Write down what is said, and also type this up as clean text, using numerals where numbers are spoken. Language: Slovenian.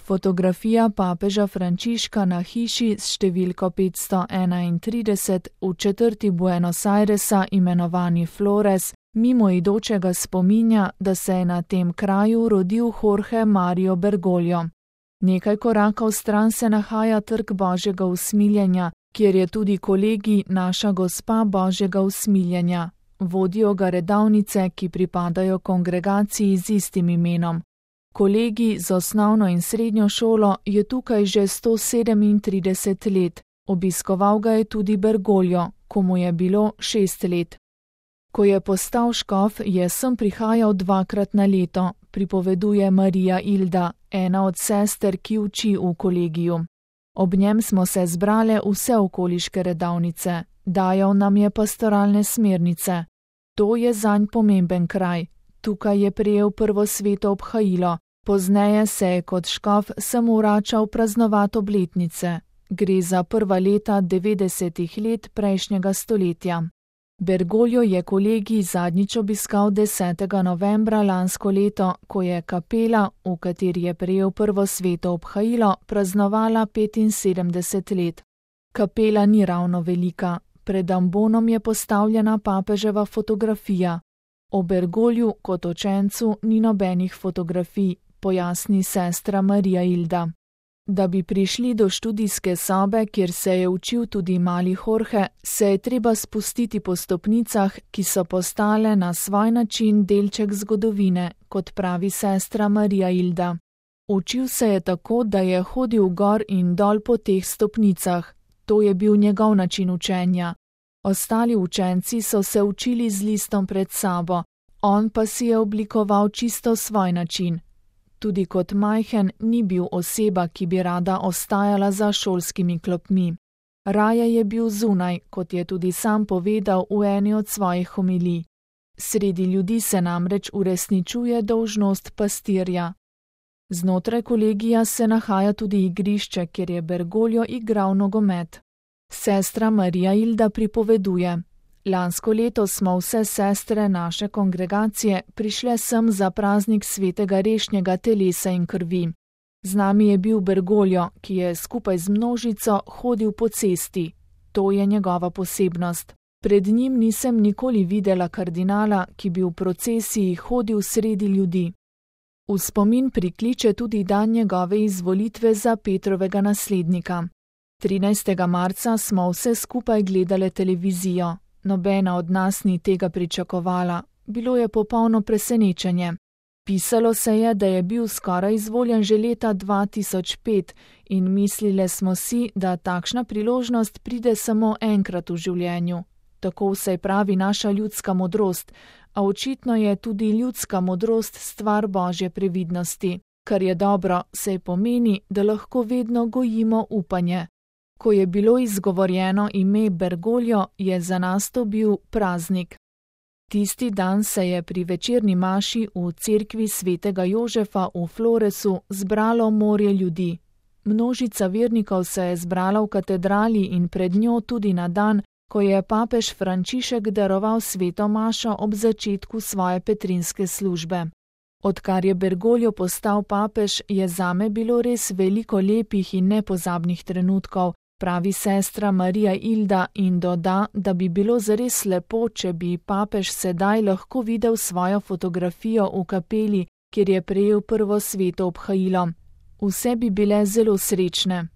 Fotografija papeža Frančiška na hiši s številko 531 v četrti Buenos Airesa imenovani Flores mimoidočega spominja, da se je na tem kraju rodil Jorge Mario Bergoglio. Nekaj korakov stran se nahaja Trg Božjega usmiljenja, kjer je tudi kolegij Naša Gospa Božjega usmiljenja. Vodijo ga redavnice, ki pripadajo kongregaciji z istim imenom. Kolegij z osnovno in srednjo šolo je tukaj že 137 let. Obiskoval ga je tudi Bergoglio, ko mu je bilo 6 let. Ko je postal škof, je sem prihajal 2-krat na leto, pripoveduje Marija Ilda, ena od sester, ki uči v kolegiju. Ob njem smo se zbrale vse okoliške redavnice, dajal nam je pastoralne smernice. To je zanj pomemben kraj. Tukaj je prejel prvo sveto obhajilo, pozneje se je kot škof samo vračal praznovati obletnice. Gre za prva leta 90. let prejšnjega stoletja. Bergoglio je kolegij zadnjič obiskal 10. novembra lansko leto, ko je kapela, v kateri je prejel prvo sveto obhajilo, praznovala 75 let. Kapela ni ravno velika, pred ambonom je postavljena papeževa fotografija. O Bergogliu kot učencu ni nobenih fotografij, pojasni sestra Marija Ilda. Da bi prišli do študijske sobe, kjer se je učil tudi mali Jorge, se je treba spustiti po stopnicah, ki so postale na svoj način delček zgodovine, kot pravi sestra Marija Ilda. Učil se je tako, da je hodil gor in dol po teh stopnicah. To je bil njegov način učenja. Ostali učenci so se učili z listom pred sabo, on pa si je oblikoval čisto svoj način. Tudi kot majhen ni bil oseba, ki bi rada ostajala za šolskimi klopmi. Raje je bil zunaj, kot je tudi sam povedal v eni od svojih homilij. Sredi ljudi se namreč uresničuje dolžnost pastirja. Znotraj kolegija se nahaja tudi igrišče, kjer je Bergoglio igral nogomet. Sestra Marija Ilda pripoveduje: Lansko leto smo vse sestre naše kongregacije prišle sem za praznik svetega rešnjega telesa in krvi. Z nami je bil Bergoglio, ki je skupaj z množico hodil po cesti. To je njegova posebnost. Pred njim nisem nikoli videla kardinala, ki bi v procesiji hodil sredi ljudi. V spomin prikliče tudi dan njegove izvolitve za Petrovega naslednika. 13. marca smo vse skupaj gledale televizijo. Nobena od nas ni tega pričakovala. Bilo je popolno presenečenje. Pisalo se je, da je bil skoraj izvoljen že leta 2005 in mislile smo si, da takšna priložnost pride samo enkrat v življenju. Tako vsaj pravi naša ljudska modrost, a očitno je tudi ljudska modrost stvar Božje previdnosti. Kar je dobro, saj pomeni, da lahko vedno gojimo upanje. Ko je bilo izgovorjeno ime Bergoglio, je za nas to bil praznik. Tisti dan se je pri večerni maši v cerkvi svetega Jožefa v Floresu zbralo morje ljudi. Množica vernikov se je zbrala v katedrali in pred njo tudi na dan, ko je papež Frančišek daroval sveto mašo ob začetku svoje petrinske službe. Odkar je Bergoglio postal papež, je zame bilo res veliko lepih in nepozabnih trenutkov, pravi sestra Marija Ilda in doda, da bi bilo zares lepo, če bi papež sedaj lahko videl svojo fotografijo v kapeli, kjer je prejel prvo sveto obhajilo. Vse bi bile zelo srečne.